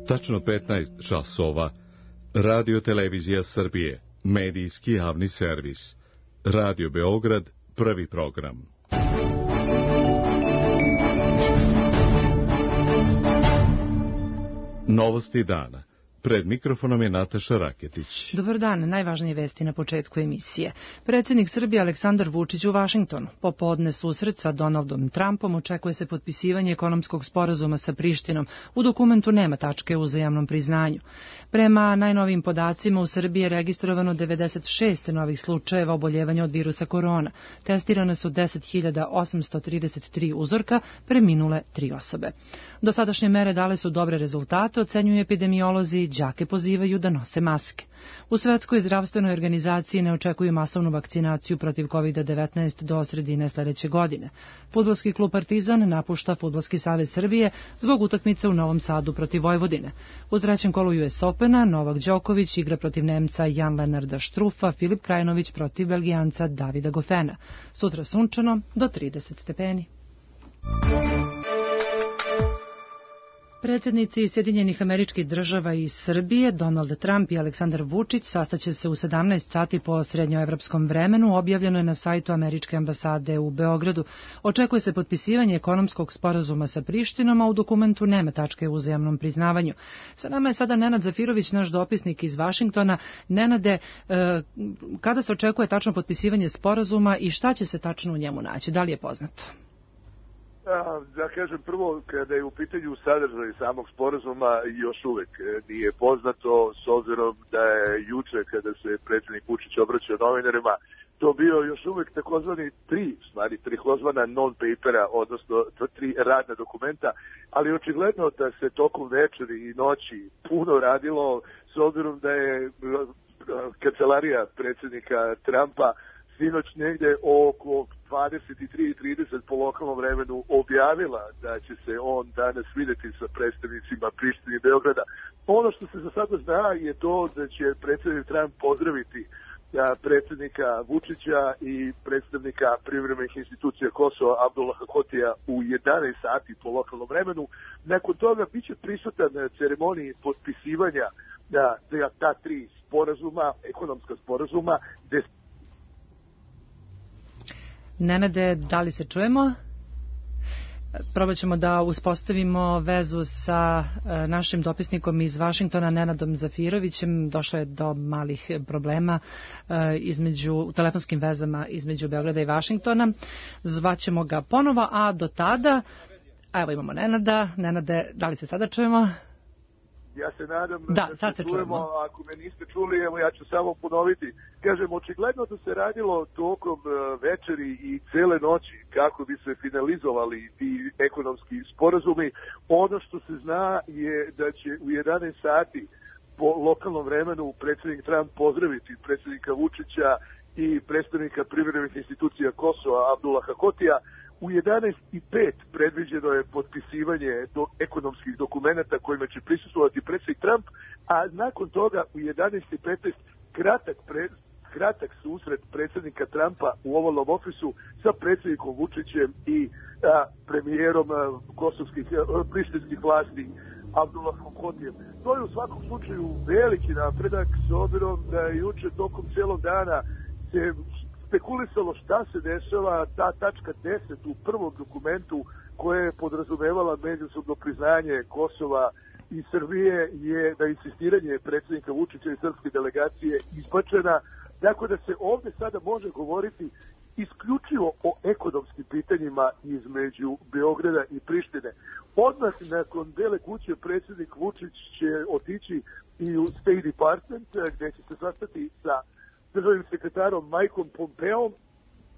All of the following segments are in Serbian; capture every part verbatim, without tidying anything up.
Tačno petnaest časova. Radio Televizija Srbije, medijski javni servis. Radio Beograd, prvi program. Novosti dana. Pred mikrofonom je Nataša Raketić. Dobar dan, najvažnije vesti na početku emisije. Predsjednik Srbije Aleksandar Vučić u Vašingtonu. Popodne susret sa Donaldom Trumpom, očekuje se potpisivanje ekonomskog sporazuma sa Prištinom. U dokumentu nema tačke o uzajamnom priznanju. Prema najnovijim podacima u Srbiji je registrovano devedeset šest novih slučajeva oboljevanja od virusa korona. Testirane su deset hiljada osamsto trideset tri uzorka, preminule tri osobe. Dosadašnje mere dale su dobre rezultate, ocenjuju epidemiolozi. Đake pozivaju da nose maske. U Svetskoj zdravstvenoj organizaciji ne očekuju masovnu vakcinaciju protiv kovid devetnaest do sredine sledeće godine. Fudbalski klub Partizan napušta Fudbalski savez Srbije zbog utakmice u Novom Sadu protiv Vojvodine. U trećem kolu U S Opena Novak Đoković igra protiv Nemca Jan-Lenarda Štrufa, Filip Krajinović protiv Belgijanca Davida Gofena. Sutra sunčano do trideset stepeni. Predsjednici Sjedinjenih Američkih Država i Srbije, Donald Trump i Aleksandar Vučić, sastaće se u sedamnaest sati po srednjoevropskom vremenu, objavljeno je na sajtu Američke ambasade u Beogradu. Očekuje se potpisivanje ekonomskog sporazuma sa Prištinom, a u dokumentu nema tačke o uzajamnom priznavanju. Sa nama je sada Nenad Zafirović, naš dopisnik iz Vašingtona. Nenade, kada se očekuje tačno potpisivanje sporazuma i šta će se tačno u njemu naći? Da li je poznato? Da kažem prvo, kada je u pitanju sadržaj samog sporazuma, još uvek nije poznato, s obzirom da je juče, kada se predsjednik Vučić obraćao novinarima, to bio još uvek takozvani tri, stvari, takozvana non-papera, odnosno tri radna dokumenta, ali očigledno da se tokom večeri i noći puno radilo, s obzirom da je kancelarija predsjednika Trumpa sinoć negde oko dvadeset tri trideset po lokalnom vremenu objavila da će se on danas videti sa predstavnicima Prištine i Beograda. Ono što se za sada zna je to da će predsjednik Trump pozdraviti predsjednika Vučića i predstavnika privremenih institucija Kosova Abdullaha Hotija u jedanaest sati po lokalnom vremenu. Nakon toga biće prisutan na ceremoniji potpisivanja da, da, ta tri sporazuma, ekonomska sporazuma, gde Nenade, da li se čujemo? Probat ćemo da uspostavimo vezu sa našim dopisnikom iz Vašingtona, Nenadom Zafirovićem. Došlo je do malih problema između, u telefonskim vezama između Beograda i Vašingtona. Zvaćemo ga ponovo, a do tada, a evo imamo Nenada. Nenade, da li se sada čujemo? Ja se nadam da, da sad se se čujemo, čujemo. Ako me niste čuli, evo ja ću samo ponoviti. Kažem, očigledno da se radilo tokom večeri i cele noći kako bi se finalizovali ti ekonomski sporazumi. Ono što se zna je da će u jedanaest sati po lokalnom vremenu predsjednik Trump pozdraviti predsjednika Vučića i predstavnika privremenih institucija Kosova Abdullaha Hotija. U jedanaest i pet predviđeno je potpisivanje do ekonomskih dokumenata kojima će prisustvovati predsjednik Trump, a nakon toga u jedanaest i petnaest kratak, pre, kratak susret predsjednika Trumpa u ovalnom ofisu sa predsjednikom Vučićem i a, premijerom a, kosovskih, a, prištinskih vlasti Abdullahom Hotijem. To je u svakom slučaju veliki napredak, s obzirom da je juče tokom cijelog dana se spekulisalo šta se dešava, ta tačka deset u prvom dokumentu koja je podrazumevala međusobno priznanje Kosova i Srbije je da insistiranje predsjednika Vučića i srpske delegacije izbačena, tako da se ovdje sada može govoriti isključivo o ekonomskim pitanjima između Beograda i Prištine. Odmah nakon Bele kuće predsjednik Vučić će otići i u State Department gdje će se sastati sa državnim sekretarom Mikeom Pompeom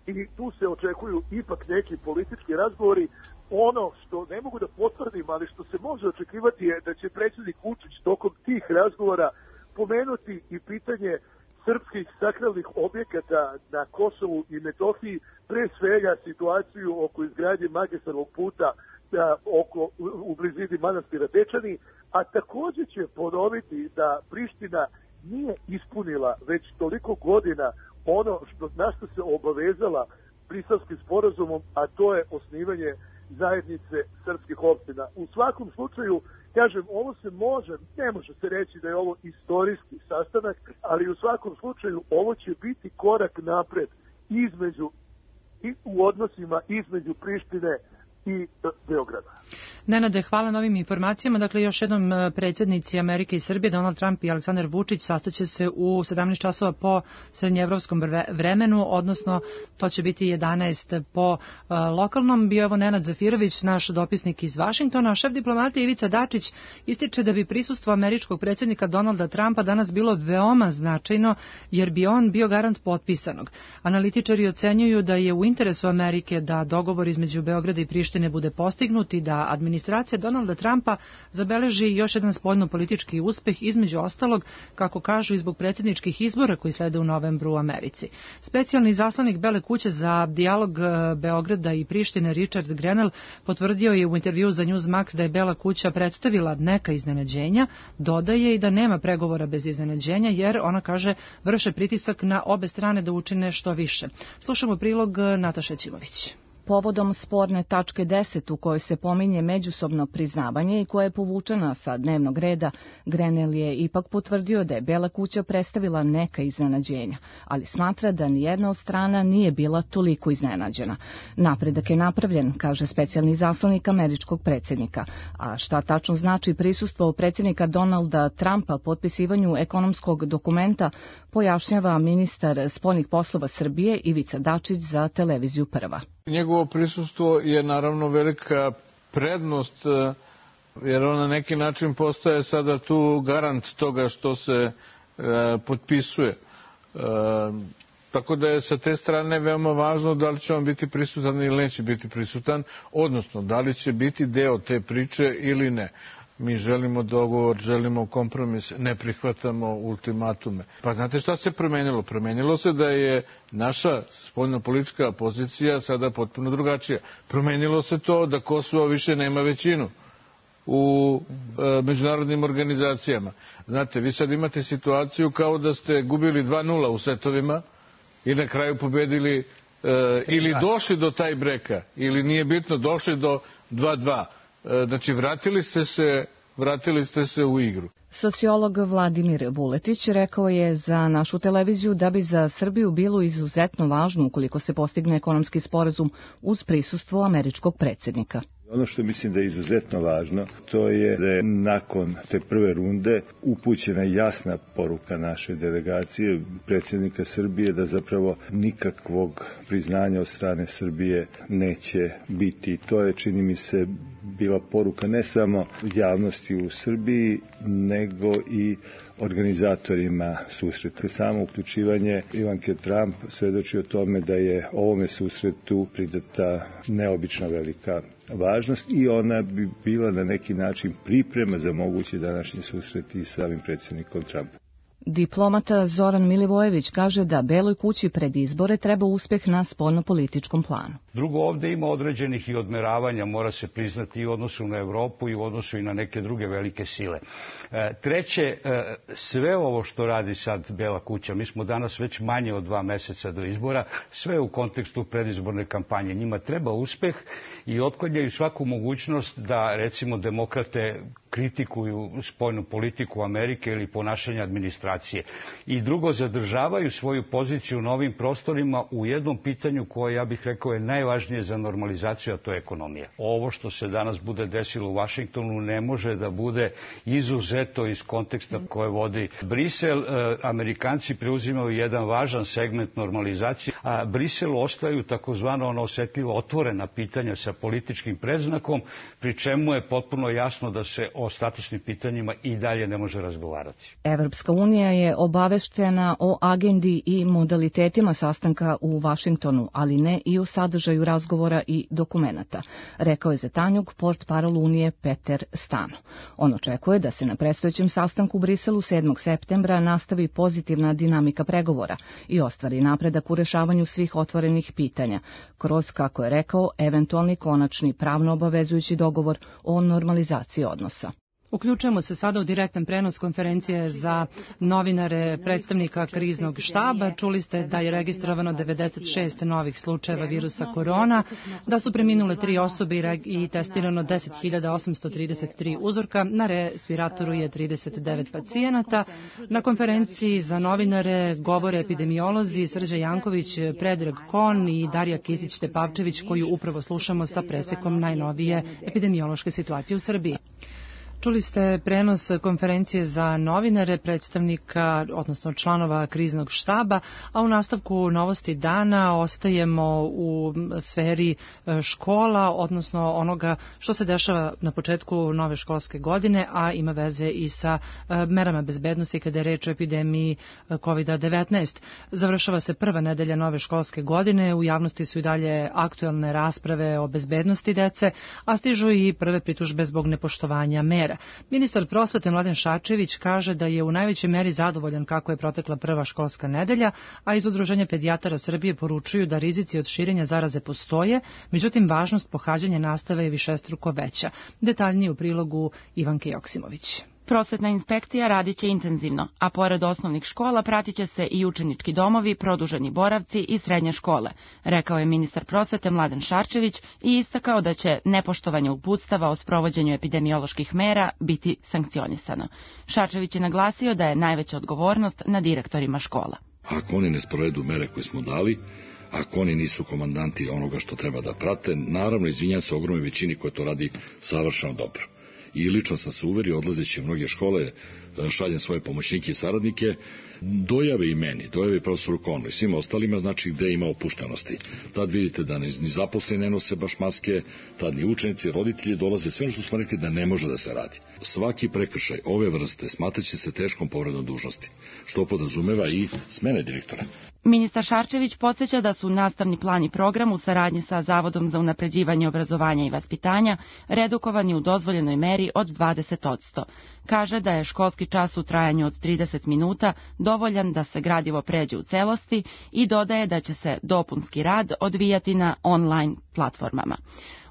i tu se očekuju ipak neki politički razgovori. Ono što ne mogu da potvrdim, ali što se može očekivati je da će predsjednik Vučić tokom tih razgovora pomenuti i pitanje srpskih sakralnih objekata na Kosovu i Metohiji, pre svega situaciju oko izgradnje magistralnog puta da, oko, u, u blizini manastira Dečani, a također će ponoviti da Priština nije ispunila već toliko godina ono što, na što se obavezala Briselskim sporazumom, a to je osnivanje zajednice srpskih opština. U svakom slučaju, kažem, ovo se može, ne može se reći da je ovo istorijski sastanak, ali u svakom slučaju ovo će biti korak napred između, i u odnosima između Prištine i Beograda. Nenade, hvala na ovim informacijama. Dakle, još jednom predsjednici Amerike i Srbije, Donald Trump i Aleksandar Vučić, sastaće se u sedamnaest časova po srednjeevropskom vremenu, odnosno to će biti jedanaest po uh, lokalnom. Bio ovo Nenad Zafirović, naš dopisnik iz Vašingtona. Šef diplomatije Ivica Dačić ističe da bi prisustvo američkog predsjednika Donalda Trumpa danas bilo veoma značajno, jer bi on bio garant potpisanog. Analitičari ocenjuju da je u interesu Amerike da dogovor između Beograda i Prištine bude postignut i da administracija Donalda Trumpa zabeleži još jedan spoljno-politički uspeh, između ostalog, kako kažu, i zbog predsjedničkih izbora koji slede u novembru u Americi. Specijalni zaslanik Bele kuće za dijalog Beograda i Prištine Richard Grenell potvrdio je u intervju za Newsmax da je Bela kuća predstavila neka iznenađenja, dodaje i da nema pregovora bez iznenađenja, jer ona kaže vrše pritisak na obe strane da učine što više. Slušamo prilog Nataše Ćimović. Povodom sporne tačke deset u kojoj se pominje međusobno priznavanje i koja je povučena sa dnevnog reda, Grenell je ipak potvrdio da je Bela kuća predstavila neka iznenađenja, ali smatra da nijedna od strana nije bila toliko iznenađena. Napredak je napravljen, kaže specijalni zaslanik američkog predsjednika. A šta tačno znači prisustvo predsjednika Donalda Trumpa potpisivanju ekonomskog dokumenta, pojašnjava ministar spoljnih poslova Srbije Ivica Dačić za televiziju Prva. Njegovo prisustvo je naravno velika prednost, jer on na neki način postaje sada tu garant toga što se e, potpisuje. E, tako da je sa te strane veoma važno da li će on biti prisutan ili neće biti prisutan, odnosno da li će biti deo te priče ili ne. Mi želimo dogovor, želimo kompromis, ne prihvatamo ultimatume. Pa znate šta se promenilo? Promenilo se da je naša spoljnopolitička pozicija sada potpuno drugačija. Promenilo se to da Kosovo više nema većinu u e, međunarodnim organizacijama. Znate, vi sad imate situaciju kao da ste gubili dva nula u setovima i na kraju pobedili e, ili došli do taj breka, ili nije bitno, došli do dva dva. Znači, vratili ste se, vratili ste se u igru. Sociolog Vladimir Vuletić rekao je za našu televiziju da bi za Srbiju bilo izuzetno važno ukoliko se postigne ekonomski sporazum uz prisustvo američkog predsjednika. Ono što mislim da je izuzetno važno, to je da je nakon te prve runde upućena jasna poruka naše delegacije, predsjednika Srbije, da zapravo nikakvog priznanja od strane Srbije neće biti. To je, čini mi se, bila poruka ne samo javnosti u Srbiji, nego i organizatorima susreta. Samo uključivanje Ivanke Trump svedoči o tome da je ovome susretu pridata neobično velika važnost i ona bi bila na neki način priprema za mogući današnji susret i sa ovim predsjednikom Trumpom. Diplomata Zoran Milivojević kaže da Beloj kući pred izbore treba uspeh na spoljnopolitičkom planu. Drugo, ovdje ima određenih i odmeravanja, mora se priznati, i u odnosu na Evropu i u odnosu i na neke druge velike sile. Treće, sve ovo što radi sad Bela kuća, mi smo danas već manje od dva meseca do izbora, sve u kontekstu predizborne kampanje. Njima treba uspeh i otklanjaju svaku mogućnost da, recimo, demokrate kritikuju spoljnu politiku Amerike ili ponašanje administracije. I drugo, zadržavaju svoju poziciju na ovim prostorima u jednom pitanju koje, ja bih rekao, je najvažnije za normalizaciju, a to je ekonomija. Ovo što se danas bude desilo u Vašingtonu ne može da bude izuzeto iz konteksta koje vodi Brisel. Amerikanci preuzimaju jedan važan segment normalizacije, a Briselu ostaju takozvano ono osetljivo otvorena pitanja sa političkim predznakom, pri čemu je potpuno jasno da se o statusnim pitanjima i dalje ne može razgovarati. Evropska unija je obaveštena o agendi i modalitetima sastanka u Vašingtonu, ali ne i o sadržaju razgovora i dokumenata, rekao je za Tanjug portparol Unije Peter Stano. On očekuje da se na predstojećem sastanku u Briselu sedmog septembra nastavi pozitivna dinamika pregovora i ostvari napredak u rešavanju svih otvorenih pitanja, kroz, kako je rekao, eventualni konačni pravno obavezujući dogovor o normalizaciji odnosa. Uključujemo se sada u direktan prenos konferencije za novinare predstavnika kriznog štaba. Čuli ste da je registrovano devedeset šest novih slučajeva virusa korona, da su preminule tri osobe i testirano deset hiljada osamsto trideset tri uzorka. Na respiratoru je trideset devet pacijenata. Na konferenciji za novinare govore epidemiolozi Srđa Janković, Predrag Kon i Darija Kisić-Tepavčević, koju upravo slušamo sa presekom najnovije epidemiološke situacije u Srbiji. Čuli ste prenos konferencije za novinare predstavnika, odnosno članova kriznog štaba, a u nastavku novosti dana ostajemo u sferi škola, odnosno onoga što se dešava na početku nove školske godine, a ima veze i sa merama bezbednosti kada je reč o epidemiji kovid devetnaest. Završava se prva nedelja nove školske godine, u javnosti su i dalje aktuelne rasprave o bezbednosti dece, a stižu i prve pritužbe zbog nepoštovanja mera. Ministar prosvete Mladen Šarčević kaže da je u najvećoj meri zadovoljan kako je protekla prva školska nedelja, a iz Udruženja pedijatara Srbije poručuju da rizici od širenja zaraze postoje, međutim važnost pohađanja nastave je višestruko veća. Detaljnije u prilogu Ivanke Joksimović. Prosvetna inspekcija radit će intenzivno, a pored osnovnih škola pratit će se i učenički domovi, produženi boravci i srednje škole, rekao je ministar prosvete Mladen Šarčević i istakao da će nepoštovanje uputstava o sprovođenju epidemioloških mera biti sankcionisano. Šarčević je naglasio da je najveća odgovornost na direktorima škola. Ako oni ne sprovedu mere koje smo dali, ako oni nisu komandanti onoga što treba da prate, naravno izvinjam se ogromnoj većini koja to radi savršeno dobro. I lično sam se uverio, odlazeći u mnoge škole, šaljem svoje pomoćnike i saradnike, dojave i meni, dojave i profesoru Konu i svima ostalima, znači gde ima opuštenosti. Tad vidite da ni zaposleni ne nose baš maske, tad ni učenici, roditelji dolaze, sve ono što smo rekli da ne može da se radi. Svaki prekršaj ove vrste smatraće se teškom povredom dužnosti, što podrazumeva i smene direktora. Ministar Šarčević podsjeća da su nastavni plan i program u saradnji sa Zavodom za unapređivanje obrazovanja i vaspitanja redukovani u dozvoljenoj meri od dvadeset posto. Kaže da je školski čas u trajanju od trideset minuta dovoljan da se gradivo pređe u celosti i dodaje da će se dopunski rad odvijati na online platformama.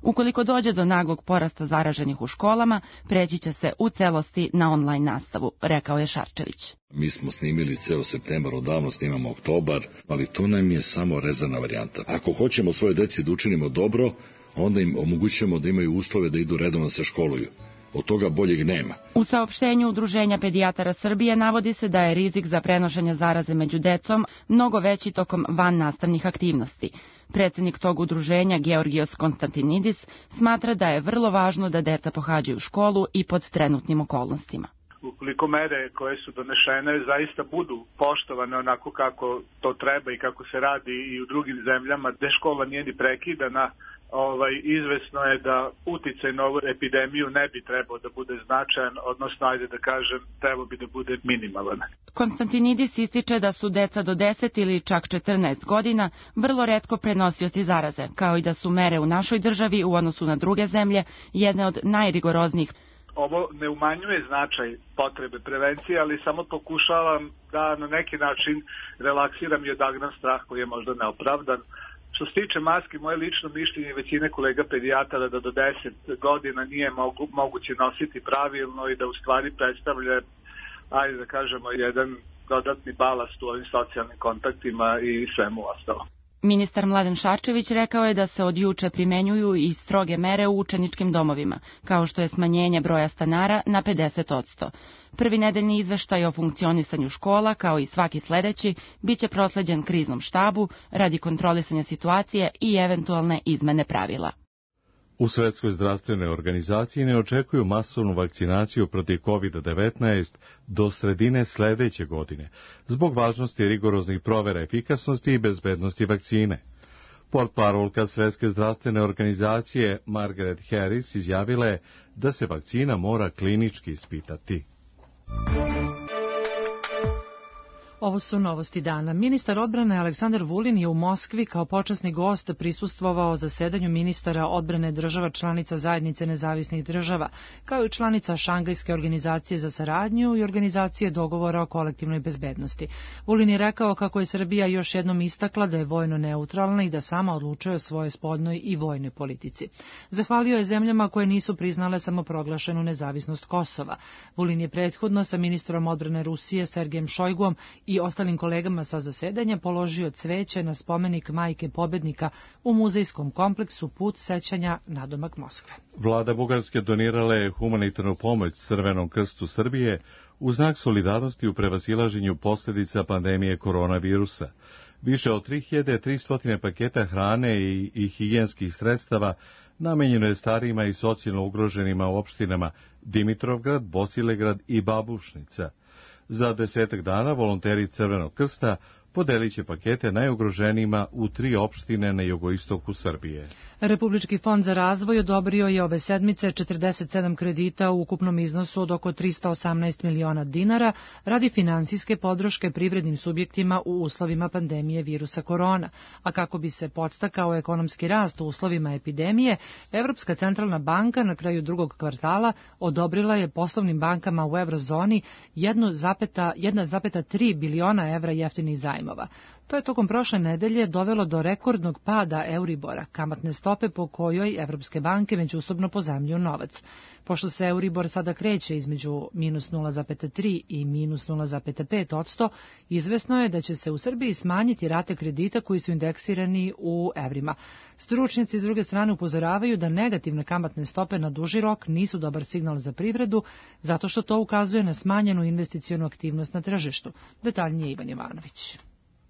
Ukoliko dođe do naglog porasta zaraženih u školama, preći će se u celosti na online nastavu, rekao je Šarčević. Mi smo snimili ceo septembar, odavno snimamo oktobar, ali to nam je samo rezervna varijanta. Ako hoćemo svoje deci da učinimo dobro, onda im omogućujemo da imaju uslove da idu redovno se školuju. Od toga boljeg nema. U saopštenju Udruženja pedijatara Srbije navodi se da je rizik za prenošenje zaraze među decom mnogo veći tokom vannastavnih aktivnosti. Predsednik tog udruženja, Georgijos Konstantinidis, smatra da je vrlo važno da deca pohađaju školu i pod trenutnim okolnostima. Ukoliko mere koje su donešene zaista budu poštovane onako kako to treba i kako se radi i u drugim zemljama gde škola nije ni prekidana, ovaj, izvesno je da uticaj na ovu epidemiju ne bi trebao da bude značajan, odnosno, ajde da kažem, trebao bi da bude minimalan. Konstantinidis ističe da su deca do deset ili čak četrnaest godina vrlo retko prenosioci zaraze, kao i da su mere u našoj državi u odnosu na druge zemlje jedne od najrigoroznijih. Ovo ne umanjuje značaj potrebe prevencije, ali samo pokušavam da na neki način relaksiram i odagnam strah koji je možda neopravdan. Što se tiče maske, moje lično mišljenje i većine kolega pedijatara da do deset godina nije mogu, moguće nositi pravilno i da u stvari predstavlja, ajde da kažemo, jedan dodatni balast u ovim socijalnim kontaktima i svemu ostalo. Ministar Mladen Šarčević rekao je da se od juče primenjuju i stroge mere u učeničkim domovima, kao što je smanjenje broja stanara na pedeset posto. Prvi nedeljni izveštaj o funkcionisanju škola, kao i svaki sledeći, biće prosleđen kriznom štabu radi kontrolisanja situacije i eventualne izmene pravila. U Svetskoj zdravstvenoj organizaciji ne očekuju masovnu vakcinaciju protiv kovid devetnaest do sredine sledeće godine, zbog važnosti rigoroznih provera efikasnosti i bezbednosti vakcine. Portparolka Svetske zdravstvene organizacije Margaret Harris izjavila je da se vakcina mora klinički ispitati. Ovo su novosti dana. Ministar odbrane Aleksandar Vulin je u Moskvi kao počasni gost prisustvovao zasedanju ministara odbrane država članica Zajednice nezavisnih država, kao i članica Šangajske organizacije za saradnju i organizacije dogovora o kolektivnoj bezbednosti. Vulin je rekao kako je Srbija još jednom istakla da je vojno neutralna i da sama odlučuje o svojoj spoljnoj i vojnoj politici. Zahvalio je zemljama koje nisu priznale samoproglašenu nezavisnost Kosova. Vulin je prethodno sa ministrom odbrane Rusije Sergejem Šojguom i ostalim kolegama sa zasedanja položio cveće na spomenik Majke pobednika u muzejskom kompleksu Put sećanja nadomak Moskve. Vlada Bugarske donirala je humanitarnu pomoć Crvenom krstu Srbije u znak solidarnosti u prevazilaženju posljedica pandemije koronavirusa. Više od tri hiljade tristo paketa hrane i, i higijenskih sredstava namenjeno je starijima i socijalno ugroženima u opštinama Dimitrovgrad, Bosilegrad i Babušnica. Za desetak dana volonteri Crvenog krsta podelit će pakete najugroženijima u tri opštine na jugoistoku Srbije. Republički fond za razvoj odobrio je ove sedmice četrdeset sedam kredita u ukupnom iznosu od oko trista osamnaest miliona dinara radi finansijske podrške privrednim subjektima u uslovima pandemije virusa korona. A kako bi se podstakao ekonomski rast u uslovima epidemije, Evropska centralna banka na kraju drugog kvartala odobrila je poslovnim bankama u eurozoni jedna zarez tri biliona evra jeftinih zajmova. To je tokom prošle nedelje dovelo do rekordnog pada Euribora, kamatne stope po kojoj evropske banke međusobno pozajmljuju novac. Pošto se Euribor sada kreće između minus nula zarez tri i minus nula zarez pet odsto, izvesno je da će se u Srbiji smanjiti rate kredita koji su indeksirani u evrima. Stručnjaci s druge strane upozoravaju da negativne kamatne stope na duži rok nisu dobar signal za privredu, zato što to ukazuje na smanjenu investicionu aktivnost na tržištu. Detaljnije Ivan Jovanović.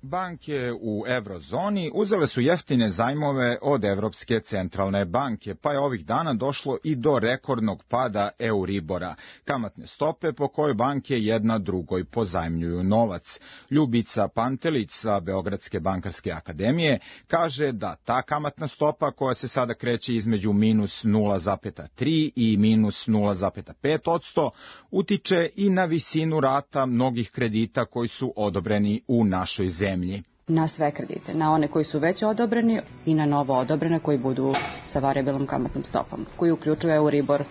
Banke u eurozoni uzele su jeftine zajmove od Evropske centralne banke, pa je ovih dana došlo i do rekordnog pada Euribora, kamatne stope po kojoj banke jedna drugoj pozajmljuju novac. Ljubica Pantelić sa Beogradske bankarske akademije kaže da ta kamatna stopa koja se sada kreće između minus nula zarez tri i minus nula zarez pet odsto utiče i na visinu rata mnogih kredita koji su odobreni u našoj zemlji. Na sve kredite, na one koji su već odobreni i na novo odobrene koji budu sa varijabilnom kamatnom stopom, koji uključuju Euribor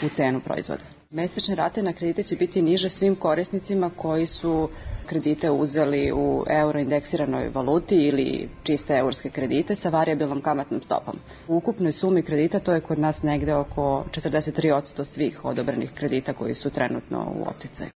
u cenu proizvoda. Mesečne rate na kredite će biti niže svim korisnicima koji su kredite uzeli u euroindeksiranoj valuti ili čiste eurske kredite sa varijabilnom kamatnom stopom. U ukupnoj sumi kredita to je kod nas negde oko četrdeset tri odsto svih odobrenih kredita koji su trenutno u opticaju.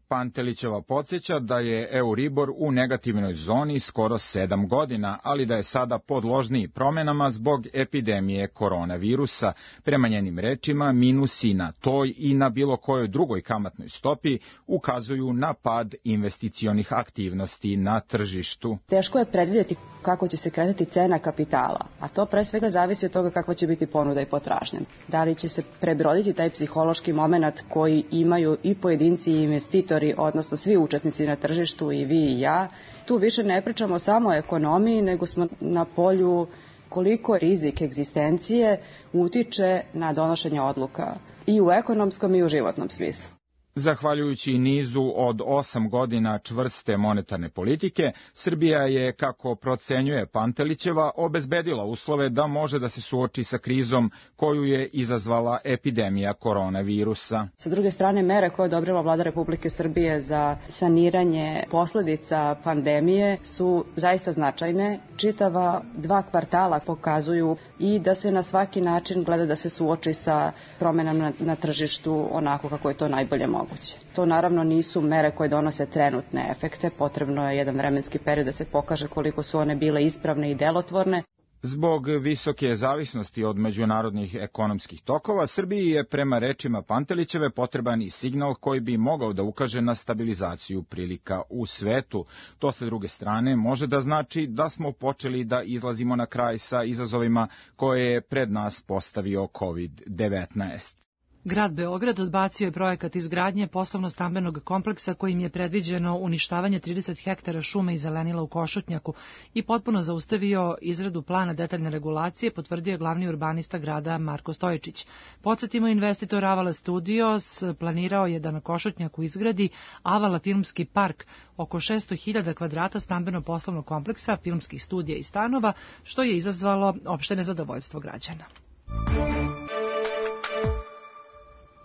Pantelićeva podsjeća da je Euribor u negativnoj zoni skoro sedam godina, ali da je sada podložniji promenama zbog epidemije koronavirusa. Prema njenim rečima, minusi na toj i na bilo kojoj drugoj kamatnoj stopi ukazuju na pad investicionih aktivnosti na tržištu. Teško je predvidjeti kako će se kretati cena kapitala, a to pre svega zavisi od toga kakva će biti ponuda i potražnja. Da li će se prebroditi taj psihološki moment koji imaju i pojedinci i investitori, odnosno svi učesnici na tržištu, i vi i ja. Tu više ne pričamo samo o ekonomiji, nego smo na polju koliko rizik egzistencije utiče na donošenje odluka i u ekonomskom i u životnom smislu. Zahvaljujući nizu od osam godina čvrste monetarne politike, Srbija je, kako procenjuje Pantelićeva, obezbedila uslove da može da se suoči sa krizom koju je izazvala epidemija koronavirusa. Sa druge strane, mere koje je odobrila Vlada Republike Srbije za saniranje posledica pandemije su zaista značajne. Čitava dva kvartala pokazuju i da se na svaki način gleda da se suoči sa promenama na, na tržištu onako kako je to najbolje moguće. To naravno nisu mere koje donose trenutne efekte, potrebno je jedan vremenski period da se pokaže koliko su one bile ispravne i delotvorne. Zbog visoke zavisnosti od međunarodnih ekonomskih tokova, Srbiji je prema rečima Pantelićeve potreban i signal koji bi mogao da ukaže na stabilizaciju prilika u svetu. To sa druge strane može da znači da smo počeli da izlazimo na kraj sa izazovima koje je pred nas postavio kovid devetnaest. Grad Beograd odbacio je projekat izgradnje poslovno-stambenog kompleksa kojim je predviđeno uništavanje trideset hektara šume i zelenila u Košutnjaku i potpuno zaustavio izradu plana detaljne regulacije, potvrdio je glavni urbanista grada Marko Stojičić. Podsjetimo, investitor Avala Studios planirao je da na Košutnjaku izgradi Avala filmski park, oko šesto hiljada kvadrata stambeno-poslovnog kompleksa, filmskih studija i stanova, što je izazvalo opšte nezadovoljstvo građana.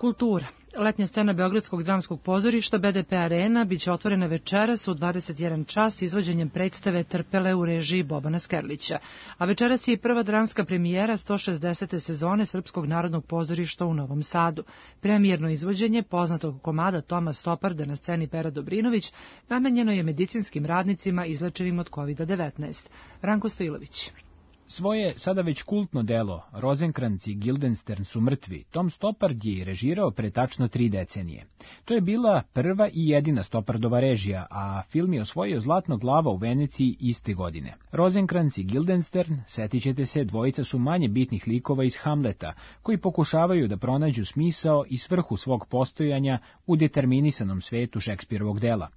Kultura. Letnja scena Beogradskog dramskog pozorišta B D P Arena biće otvorena večeras u dvadeset jedan čas izvođenjem predstave Trpele u režiji Bobana Skerlića. A večeras je i prva dramska premijera sto šezdesete sezone Srpskog narodnog pozorišta u Novom Sadu. Premijerno izvođenje poznatog komada Toma Stoparda na sceni Pera Dobrinović namenjeno je medicinskim radnicima izlečenim od kovida devetnaest. Ranko Stojilović. Svoje sada već kultno delo Rozenkranz i Guildenstern su mrtvi Tom Stoppard je režirao pre tačno tri decenije. To je bila prva i jedina Stoppardova režija, a film je osvojio Zlatno glava u Veneciji iste godine. Rozenkranz i Guildenstern, setit ćete se, dvojica su manje bitnih likova iz Hamleta, koji pokušavaju da pronađu smisao i svrhu svog postojanja u determinisanom svetu Šekspirovog dela.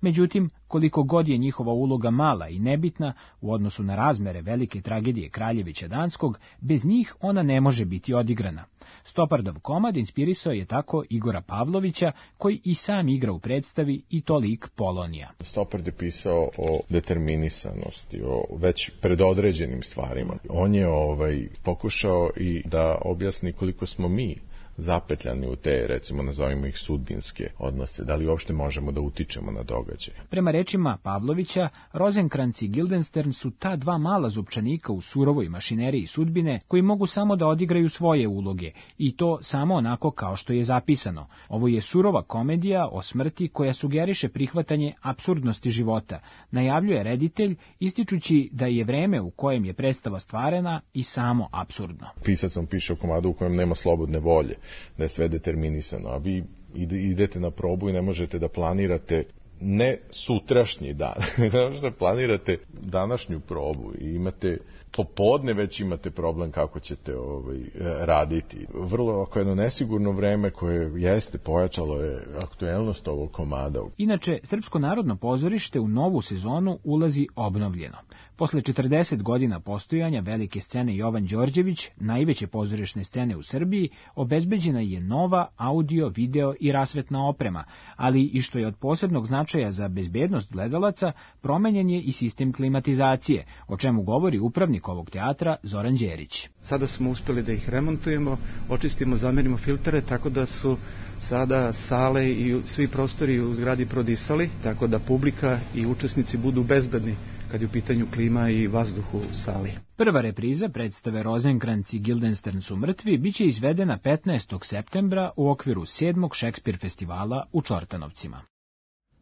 Međutim, koliko god je njihova uloga mala i nebitna u odnosu na razmere velike tragedije Kraljevića Danskog, bez njih ona ne može biti odigrana. Stoppardov komad inspirisao je tako Igora Pavlovića, koji i sam igra u predstavi, i to lik Polonija. Stoppard je pisao o determinisanosti, o već predodređenim stvarima. On je ovaj pokušao i da objasni koliko smo mi zapetljani u te, recimo, nazovimo ih sudbinske odnose, da li uopšte možemo da utičemo na događaje. Prema rečima Pavlovića, Rozenkranz i Guildenstern su ta dva mala zupčanika u surovoj mašineriji sudbine koji mogu samo da odigraju svoje uloge, i to samo onako kao što je zapisano. Ovo je surova komedija o smrti koja sugeriše prihvatanje apsurdnosti života, najavljuje reditelj, ističući da je vreme u kojem je predstava stvarena i samo apsurdno. Pisac vam piše o komadu u kojem nema slobodne volje, da je sve determinisano, a vi idete na probu i ne možete da planirate ne sutrašnji dan, ne možete da planirate današnju probu i imate popodne već imate problem kako ćete ovaj, raditi. Vrlo ako jedno nesigurno vreme koje jeste pojačalo je aktuelnost ovog komada. Inače, Srpsko narodno pozorište u novu sezonu ulazi obnovljeno. Posle četrdeset godina postojanja velike scene Jovan Đorđević, najveće pozorišne scene u Srbiji, obezbeđena je nova audio, video i rasvetna oprema, ali i što je od posebnog značaja za bezbednost gledalaca, promenjen je i sistem klimatizacije, o čemu govori upravnik ovog teatra Zoran Đerić. Sada smo uspeli da ih remontujemo, očistimo, zamenimo filtere, tako da su sada sale i svi prostori u zgradi prodisali, tako da publika i učesnici budu bezbedni kad je u pitanju klima i vazduh u sali. Prva repriza predstave Rozenkranz i Guildenstern su mrtvi biće izvedena petnaestog septembra u okviru sedmog Šekspir festivala u Čortanovcima.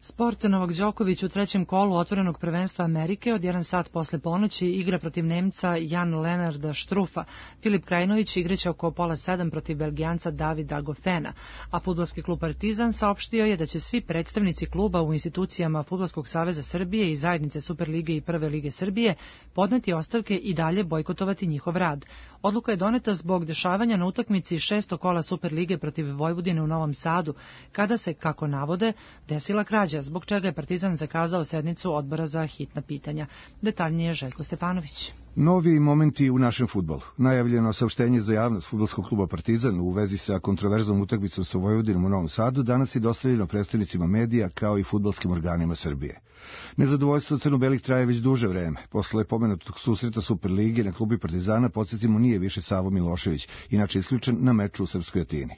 Sport. Novak Đoković u trećem kolu otvorenog prvenstva Amerike od jedan sat posle ponoći igra protiv Nemca Jan Lenarda Štrufa. Filip Krajinović igraće oko pola sedam protiv Belgijanca Davida Gofena, a fudbalski klub Partizan saopštio je da će svi predstavnici kluba u institucijama Fudbalskog saveza Srbije i zajednice Superlige i Prve lige Srbije podneti ostavke i dalje bojkotovati njihov rad. Odluka je doneta zbog dešavanja na utakmici šesto kola Superlige protiv Vojvodine u Novom Sadu, kada se, kako navode, desila krađa, zbog čega je Partizan zakazao sednicu odbora za hitna pitanja. Detaljnije Željko Stefanović. Novi momenti u našem fudbalu. Najavljeno saopštenje za javnost fudbalskog kluba Partizan u vezi sa kontroverznom utakmicom sa Vojvodinom u Novom Sadu danas je dostavljeno predstavnicima medija kao i fudbalskim organima Srbije. Nezadovoljstvo crno-belih traje već duže vreme. Posle pomenutog susreta Superlige na klubi Partizana, podsjetimo, nije više Savo Milošević, inače isključen na meču u Srpskoj Atini.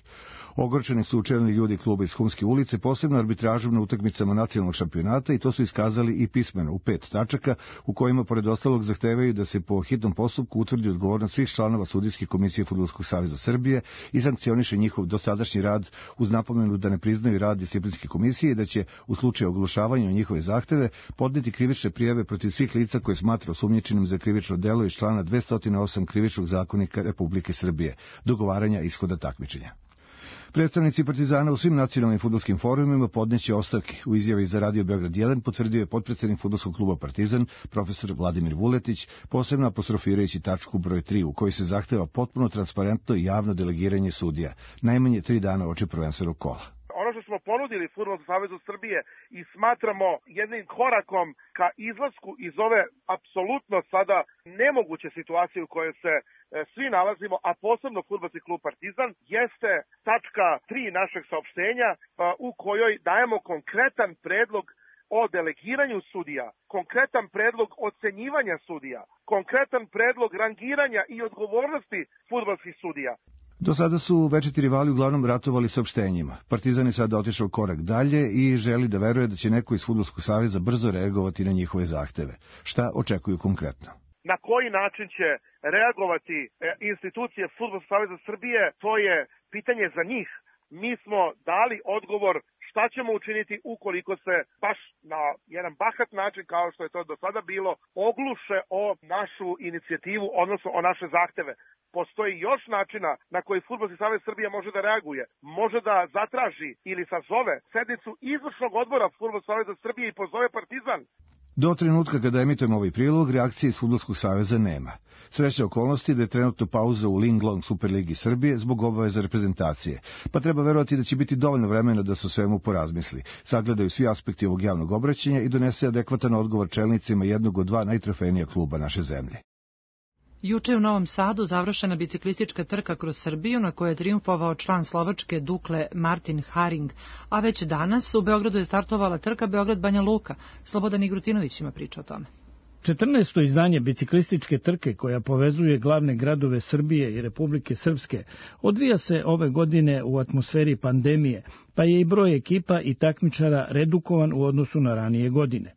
Ogorčeni su čelni ljudi kluba iz Humske ulice, posebno arbitražom na utakmicama nacionalnog šampionata, i to su iskazali i pismeno u pet tačaka, u kojima pored ostalog zahtevaju da se po hitnom postupku utvrdi odgovornost svih članova sudijske komisije Fudbalskog saveza Srbije i sankcioniše njihov dosadašnji rad, uz napomenu da ne priznaju rad disciplinske komisije i da će u slučaju oglušavanja njihove zahteve podneti krivične prijave protiv svih lica koje smatra osumnjičenim za krivično delo iz člana dvesta osam Krivičnog zakonika Republike Srbije, dogovaranja ishoda takmičenja. Predstavnici Partizana u svim nacionalnim fudbalskim forumima podneće ostavke. U izjavi za Radio Beograd jedan potvrdio je potpredsednik fudbalskog kluba Partizan, profesor Vladimir Vuletić, posebno apostrofirajući tačku broj tri u kojoj se zahteva potpuno transparentno i javno delegiranje sudija, najmanje tri dana oči prvenstvenog kola. Ono što smo ponudili Fudbalskom savezu Srbije i smatramo jednim korakom ka izlasku iz ove apsolutno sada nemoguće situacije u kojoj se e, svi nalazimo, a posebno Fudbalski klub Partizan, jeste tačka tri našeg saopštenja a, u kojoj dajemo konkretan predlog o delegiranju sudija, konkretan predlog ocenjivanja sudija, konkretan predlog rangiranja i odgovornosti fudbalskih sudija. Do sada su večiti rivali uglavnom ratovali saopštenjima. Partizan je sada otišao korak dalje i želi da veruje da će neko iz Fudbalskog saveza brzo reagovati na njihove zahteve. Šta očekuju konkretno? Na koji način će reagovati institucije Fudbalskog saveza Srbije, to je pitanje za njih. Mi smo dali odgovor šta ćemo učiniti ukoliko se baš na jedan bahat način, kao što je to do sada bilo, ogluše o našu inicijativu, odnosno o naše zahteve. Postoji još načina na koji Fudbalski savez Srbije može da reaguje. Može da zatraži ili sazove sednicu izvršnog odbora Fudbalskog saveza Srbije i pozove Partizan. Do trenutka kada emitujemo ovaj prilog, reakcije iz Fudbalskog saveza nema. Sreća okolnosti da je trenutno pauza u Linglong Superligi Srbije zbog obaveza reprezentacije, pa treba verovati da će biti dovoljno vremena da se o svemu porazmisli, sagledaju svi aspekti ovog javnog obraćanja i donese adekvatan odgovor čelnicima jednog od dva najtrofejnija kluba naše zemlje. Juče je u Novom Sadu završena biciklistička trka kroz Srbiju na kojoj je trijumfovao član Slovačke Dukle Martin Haring, a već danas u Beogradu je startovala trka Beograd-Banja Luka. Slobodan Igrutinović ima priču o tome. četrnaesto izdanje biciklističke trke koja povezuje glavne gradove Srbije i Republike Srpske odvija se ove godine u atmosferi pandemije, pa je i broj ekipa i takmičara redukovan u odnosu na ranije godine.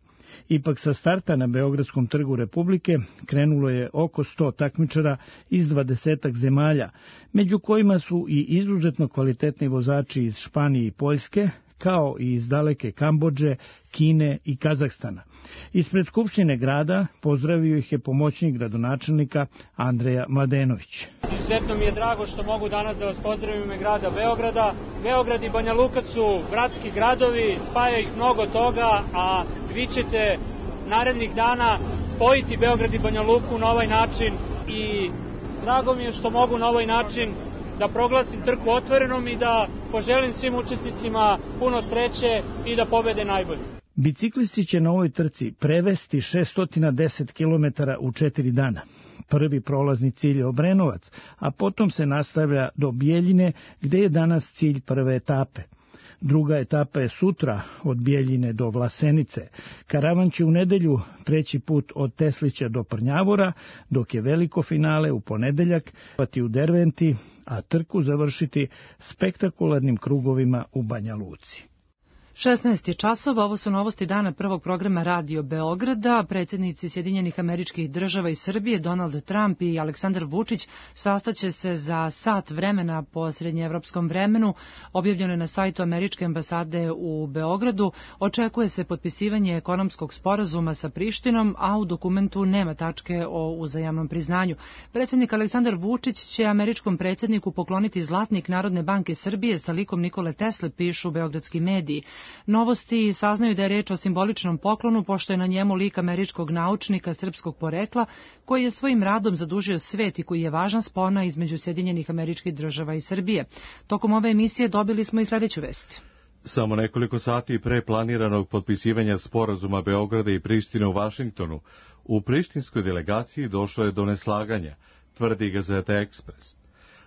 Ipak sa starta na Beogradskom trgu Republike krenulo je oko sto takmičara iz dvadesetak zemalja, među kojima su i izuzetno kvalitetni vozači iz Španije i Poljske, kao i iz daleke Kambodže, Kine i Kazahstana. Ispred Skupštine grada pozdravio ih je pomoćnik gradonačelnika Andreja Mladenović. Izuzetno mi je drago što mogu danas da vas pozdravim u ime grada Beograda. Beograd i Banja Luka su bratski gradovi, spaja ih mnogo toga, a vi ćete narednih dana spojiti Beograd i Banja Luku na ovaj način i drago mi je što mogu na ovaj način da proglasim trku otvorenom i da poželim svim učesnicima puno sreće i da pobede najbolji. Biciklisti će na ovoj trci prevesti šesto deset kilometara u četiri dana. Prvi prolazni cilj je Obrenovac, a potom se nastavlja do Bijeljine, gde je danas cilj prve etape. Druga etapa je sutra od Bijeljine do Vlasenice. Karavan će u nedelju preći put od Teslića do Prnjavora, dok je veliko finale u ponedeljak pati u Derventi, a trku završiti spektakularnim krugovima u Banja Luci. šesnaest časova, ovo su novosti dana prvog programa Radio Beograda. Predsjednici Sjedinjenih Američkih Država i Srbije, Donald Trump i Aleksandar Vučić, sastaće se za sat vremena po srednjeevropskom vremenu. Objavljeno je na sajtu Američke ambasade u Beogradu. Očekuje se potpisivanje ekonomskog sporazuma sa Prištinom, a u dokumentu nema tačke o uzajamnom priznanju. Predsjednik Aleksandar Vučić će američkom predsjedniku pokloniti zlatnik Narodne banke Srbije sa likom Nikole Tesle, pišu beogradski mediji. Novosti saznaju da je reč o simboličnom poklonu, pošto je na njemu lik američkog naučnika srpskog porekla, koji je svojim radom zadužio svet i koji je važna spona između Sjedinjenih Američkih Država i Srbije. Tokom ove emisije dobili smo i sledeću vest. Samo nekoliko sati pre planiranog potpisivanja sporazuma Beograda i Prištine u Vašingtonu, u prištinskoj delegaciji došlo je do neslaganja, tvrdi Gazeta Ekspres.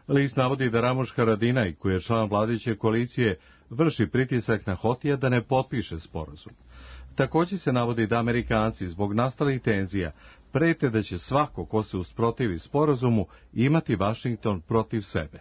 List navodi da Ramuš Haradinaj, koji je član vladajuće koalicije, vrši pritisak na Hotija da ne potpiše sporazum. Također se navodi da Amerikanci zbog nastalih tenzija prete da će svako ko se usprotivi sporazumu imati Vašington protiv sebe.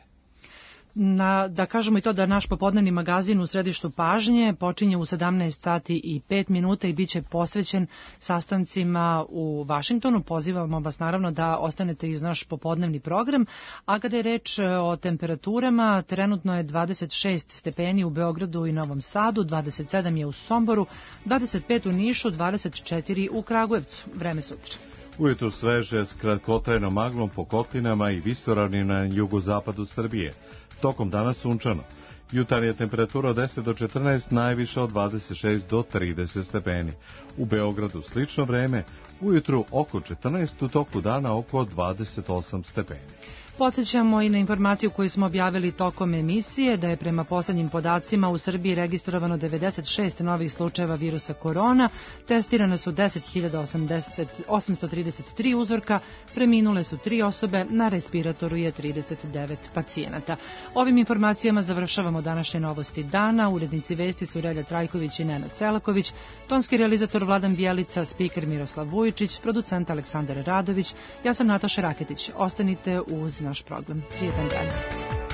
Na, da kažemo i to da naš popodnevni magazin u središtu pažnje počinje u sedamnaest sati i pet minuta i bit će posvećen sastancima u Vašingtonu. Pozivamo vas naravno da ostanete i uz naš popodnevni program. A kada je reč o temperaturama, trenutno je dvadeset šest stepeni u Beogradu i Novom Sadu, dvadeset sedam je u Somboru, dvadeset pet u Nišu, dvadeset četiri u Kragujevcu. Vreme sutra. Ujutru sveže s kratkotrajnom maglom po kotlinama i visoravnima na jugozapadu Srbije. Tokom dana sunčano. Jutarnja temperatura od deset do četrnaest, najviša od dvadeset šest do trideset stepeni. U Beogradu slično vreme, ujutru oko četrnaest, u toku dana oko dvadeset osam stepeni. Podsjećamo i na informaciju koju smo objavili tokom emisije da je prema poslednjim podacima u Srbiji registrovano devedeset šest novih slučajeva virusa korona, testirane su deset hiljada osamsto trideset tri uzorka, preminule su tri osobe, na respiratoru je trideset devet pacijenata. Ovim informacijama završavamo današnje novosti dana. Urednici vesti su Relja Trajković i Nenad Selaković, tonski realizator Vladan Bjelica, spiker Miroslav Vujičić, producent Aleksandar Radović, ja sam Nataša Raketić. Ostanite uz naš program. Prijetan dan.